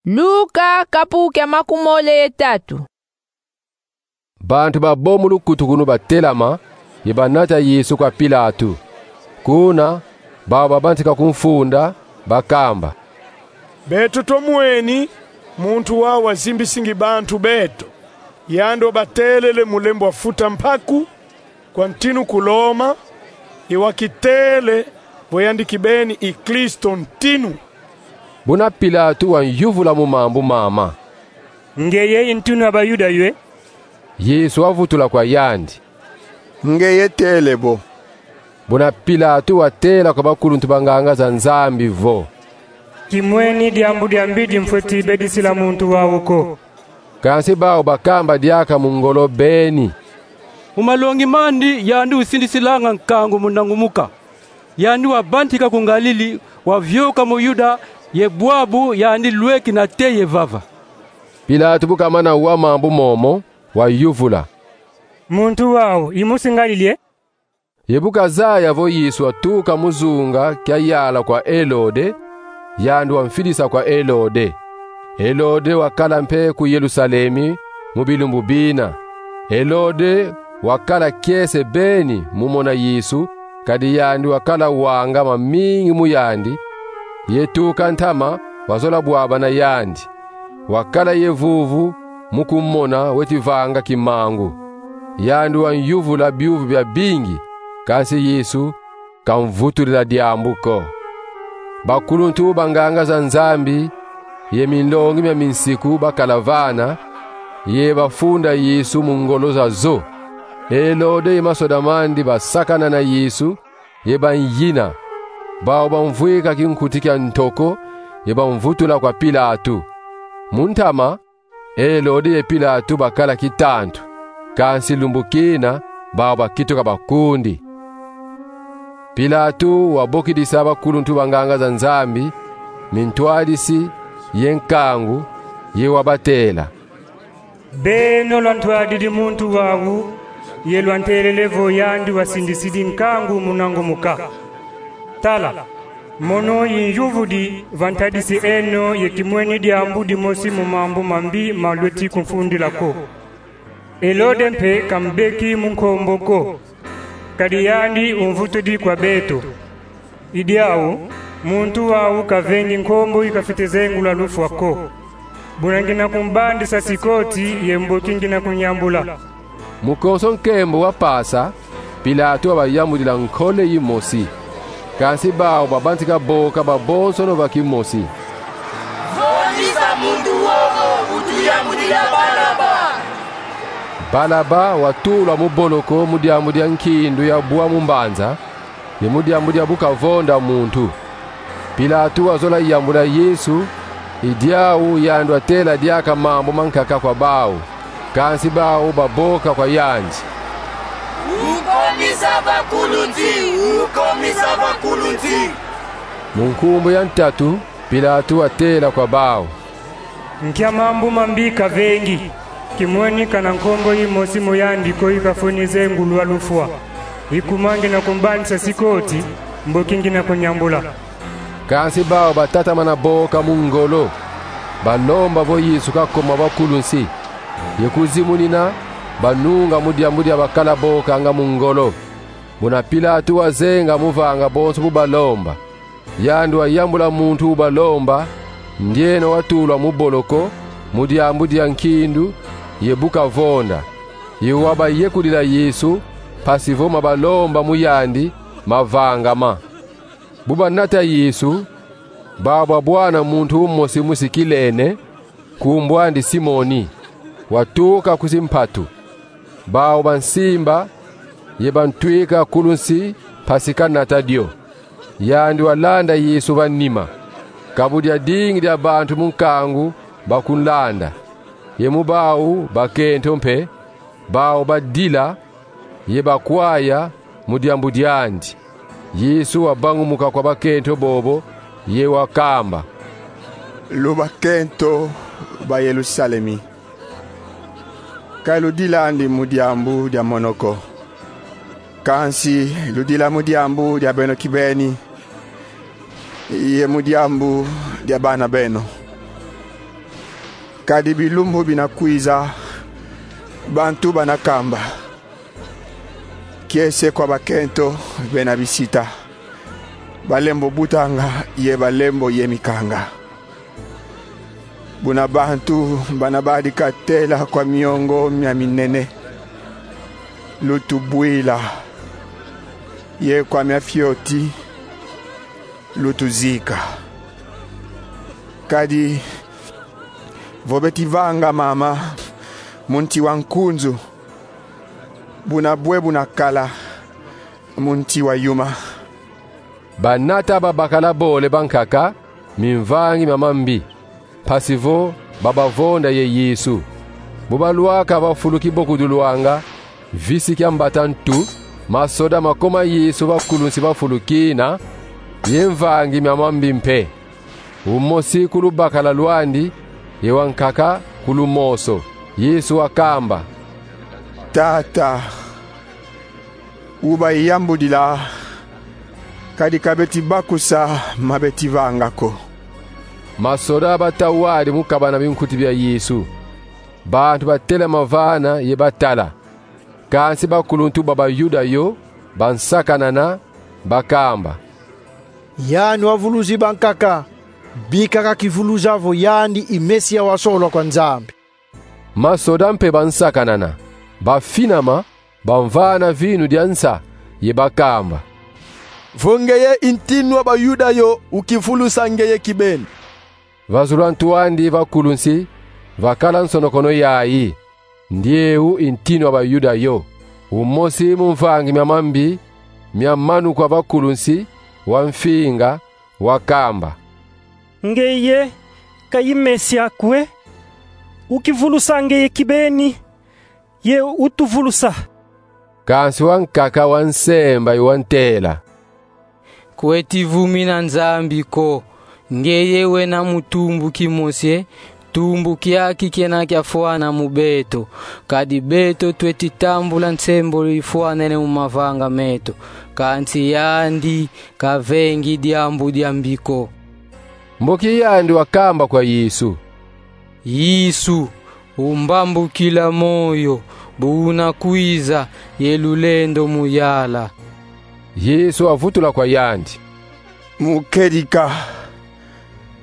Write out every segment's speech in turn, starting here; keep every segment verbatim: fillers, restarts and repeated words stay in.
Luka kapu kia makumole ye tatu. Bantu babo mu lukutukunu batelama, ye banata Yesu kwa Pilatu. Kuna, bau babantika kumfunda, bakamba: Beto tumweni muntu wau wazimbisingi bantu beto. Yandi wabatelele mu lembo wa futa mpaku kwa ntinu ku Loma, ye wakitele vo yandi kibeni i Kristo ntinu. Buna Pilatu wanyuvula mu mambu mama: Ngeye i ntinu a Bayuda ywe? Yesu wavutula kwa yandi: Ngeye tele bo. Buna Pilatu watela kwa bakuluntu banganga za Nzambi vo: Kimweni diambu dia mbidi mfweti bedisila muntu wau ko. Kansi bau bakamba diaka mu ngolo beni: Mu malongi mandi yandi usindisilanga nkangu mu nangumuka. Yandi wabantika ku Ngalili, wavioka mu Yuda, ye bwabu yandi lweki nate ye vava. Pilatu bu kamana wa mambu momo, wayuvula: Muntu wau i musi Ngalili e? Ye bu kazaya vo Yesu watuka mu zunga kia yala kwa Elode, yandi wamfidisa kwa Elode. Elode wakala mpe ku Yelusalemi mu bilumbu bina. Elode wakala kiese beni mu mona Yesu, kadi yandi wakala wanga mamingi mu yandi, ye tuka ntama wazola bwabana yandi. Wakala ye vuvu mu kumona weti vanga kimangu. Yandi wanyuvula biuvu biabingi, kansi Yesu kamvutudila diambu ko. Bakuluntu banganga za Nzambi ye minlongi mia minsiku bakala vana, ye bafunda Yesu mu ngolo zazo. Elode ye masoda mandi basakana na Yesu, ye banyina. Bau bamvwika kinkuti kia ntoko, ye bamvutula kwa Pilatu. Mu ntama, Elode ye Pilatu bakala kitantu, kansi lumbu kina, bau bakituka bakundi. Pilatu wabokidisa bakuluntu banganga za Nzambi mintwadisi ye nkangu, ye wabatela: Beno lwantwadidi muntu wau, ye lwantelele vo yandi wasindisidi nkangu mu nangumuka. Tala, mono inyuvudi va ntadisi eno ye kimweni diambu dimosi mu mambu mambi ma lweti kumfundila ko. Elode mpe kambeki mu nkombo ko, kadi yandi umvutudi kwa beto. I diau, muntu wau kavengi nkombo ikafwete zengulwa lufwa ko. Buna ngina kumbandisa sikoti ye mboki ngina kunyambula. Mu konso nkembo wapasa, Pilatu wabayambudila nkole yimosi. Kansi bau babantika boka babonsono va kimosi: Vondisa muntu wowo, utuyambudila Balaba! Balaba watulwa mu boloko mu diambu dia nkindu ya bwa mu mbanza, ye mu diambu dia bu kavonda muntu. Pilatu wazola yambula Yesu, i diau yandi watela diaka mambu mankaka kwa bau, kansi bau baboka kwa yandi: Ukomisa bakulunsi! Ukomisa bakulunsi! Mu nkumbu ya ntatu, Pilatu watela kwa bau: Nkia mambu mambi kavengi, kimweni kana nkombo yimosi mu yandi ko ikafweni zengulwa lufwa. I kuma ngina kumbandisa sikoti, mboki ngina kunyambula. Kansi bau batatamana boka mu ngolo, balomba vo Yesu kakoma bakulunsi, ye kuzimunina, banunga mu diambu dia bakala bokanga mu ngolo. Buna Pilatu wazenga mu vanga bonso bu balomba, yandi wayambula muntu ubalomba, ndiena watulwa mu boloko, mu diambu dia nkindu ye bu kavonda, ye wabayekudila Yesu, mpasi vo mabalomba mu yandi mavangama. Bu banata Yesu, bau babwana muntu umosi musi Kilene, nkumbu andi Simoni, watuka ku zimpatu. Bau bansimba, ye bantwika kulunsi mpasi kanata dio. Yandi walanda Yesu va nima. Ka bu diadingi dia bantu mu nkangu bakunlanda, ye mu bau bakento mpe, bau badila, ye bakwaya mu diambu diandi. Yesu wabangumuka kwa bakento bobo, ye wakamba: Lu bakento ba Yelusalemi, ka ludilandi mu diambu dia mono ko, kansi ludila mu diambu dia beno kibeni, ye mu diambu dia bana beno. Kadi bilumbu bina kwiza, bantu bana kamba, kiese kwa bakento bena bisita, balembo butanga ye balembo yemikanga. Buna bantu bana badika tela kwa miongo mia minene, lutubwila, ye kwa mia fioti, lutuzika. Kadi vo beti vanga mama mu nti wa nkunzu, buna bwe buna kala mu nti wa yuma. Banata babakala bole bankaka mimvangi mia mambi, mpasi vo babavonda ye Yesu. Bu balwaka va fulu kibokudulwanga, visi kia mbata ntu, masoda makoma Yesu va kulunsi va fulu kina, ye mvangi mia mambi mpe, umosi ku lubakala lwandi, ye wankaka ku lumoso. Yesu wakamba: Tata, ubayambudila, kadi ka beti bakusa ma beti vanga ko. Masoda batawadi mu kabana binkuti bia Yesu. Bantu batelama vana ye batala. Kansi bakuluntu ba Bayuda yo bansakanana, bakamba: Yandi wavuluzi bankaka, bika kakivuluza vo yandi i Mesia wasolwa kwa Nzambi. Masoda mpe bansakanana, bafinama, bamvana vinu dia nsa, ye bakamba: Vo ngeye i ntinu wa Bayuda yo, ukivulusa ngeye kibeni. Va zulu a ntu andi va kulunsi vakala nsonokono yayi: Ndieu i ntinu wa Bayuda yo. Umosi mu mvangi mia mambi mia manu kwa va kulunsi, wamfinga, wakamba: Ngeye ka i Mesia kwe? Ukivulusa ngeye kibeni, ye utuvulusa. Kansi wankaka wansemba ye wantela: Kweti vumina Nzambi ko. Ngeye wena mu tumbu kimosi, tumbu kiaki kiena kiafwana mu beto. Kadi beto tweti tambula nsembolo ifwanene mu mavanga meto, kansi yandi kavengi diambu diambi ko. Mboki yandi wakamba kwa Yesu: Yesu, umbambukila moyo, bu una kwiza ye lulendo mu yala. Yesu wavutula kwa yandi: Mu kedika,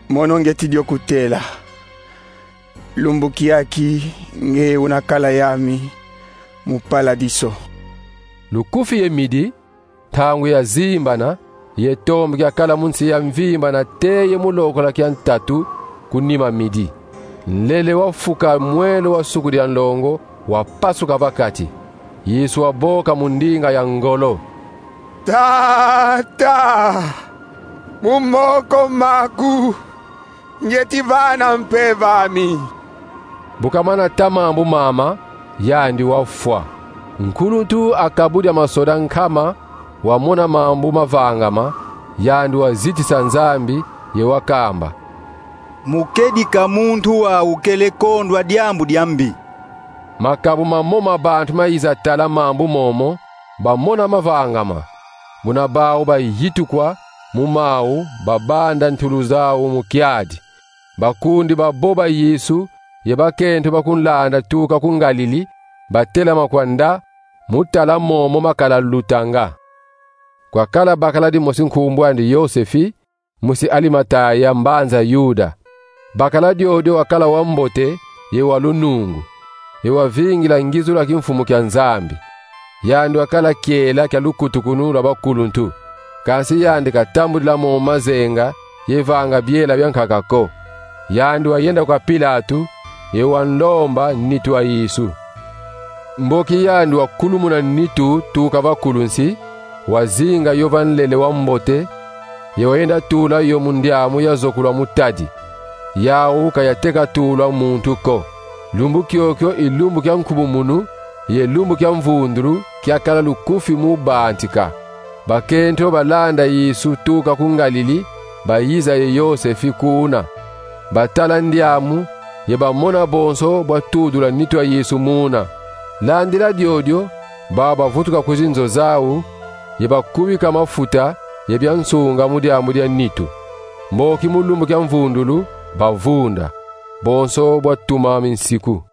mono ngeti dio kutela. Lumbu kiaki nge una kala yami mu paladiso. Lukufi ye midi, ntangu yazimbana, ye tombe kiakala mu nsi ya mvimba nate ye mu lokola kia ntatu ku nima midi. Nlele wafuka mwelo wa suku dia nlongo, wapasuka va kati. Yesu waboka mu ndinga ya ngolo: Tata, mu moko maku ngeti vana mpeve ami. Bu kamana ta mambu mama, yandi wafwa. Nkuluntu a kabu dia masoda nkama wamona mambu mavangama, yandi wazitisa Nzambi, ye wakamba: Mu kedika muntu wau kele kondwa diambu diambi. Makabu mamo ma bantu mayiza tala mambu momo, bamona mavangama. Buna bau bayitukwa mu mau, babanda ntulu zau mu kiadi. Bakundi babo ba Yesu ye bakento bakunlanda tuka ku Ngalili, batelama kwanda mu tala momo makala lutanga. Kwakala bakala dimosi nkumbu andi Yosefi, musi Alimataya, mbanza Yuda. Bakala diodio wakala wambote ye wa lunungu, ye wavingila ngizulu a kimfumu kia Nzambi. Yandi wakala kiela kia lukutukunu lwa bakuluntu. Kansi yandi katambudila momo mazenga ye vanga biela biankaka ko. Yandi wayenda kwa Pilatu, ye wanlomba nitu a Yesu. Mboki yandi wakulumuna nitu tuka va kulunsi, wazinga yo va nlele wambote, ye wayenda tula yo mu ndiamu yazokulwa mu tadi. Yau ka yateka tulwa muntu ko. Lumbu kiokio i lumbu kia nkubumunu, ye lumbu kia mvundulu kiakala lukufi mu bantika. Bakento balanda Yesu tuka ku Ngalili, bayiza ye Yosefi kuna. Batala ndiamu, ye bamona bonso bwatudula nitu a Yesu muna. Landila diodio, bau bavutuka ku zinzo zau, ye bakubika mafuta ye bia nsunga mu diambu dia nitu. Mboki mu lumbu kia mvundulu, bavunda. bonso bwa tuma minsiku.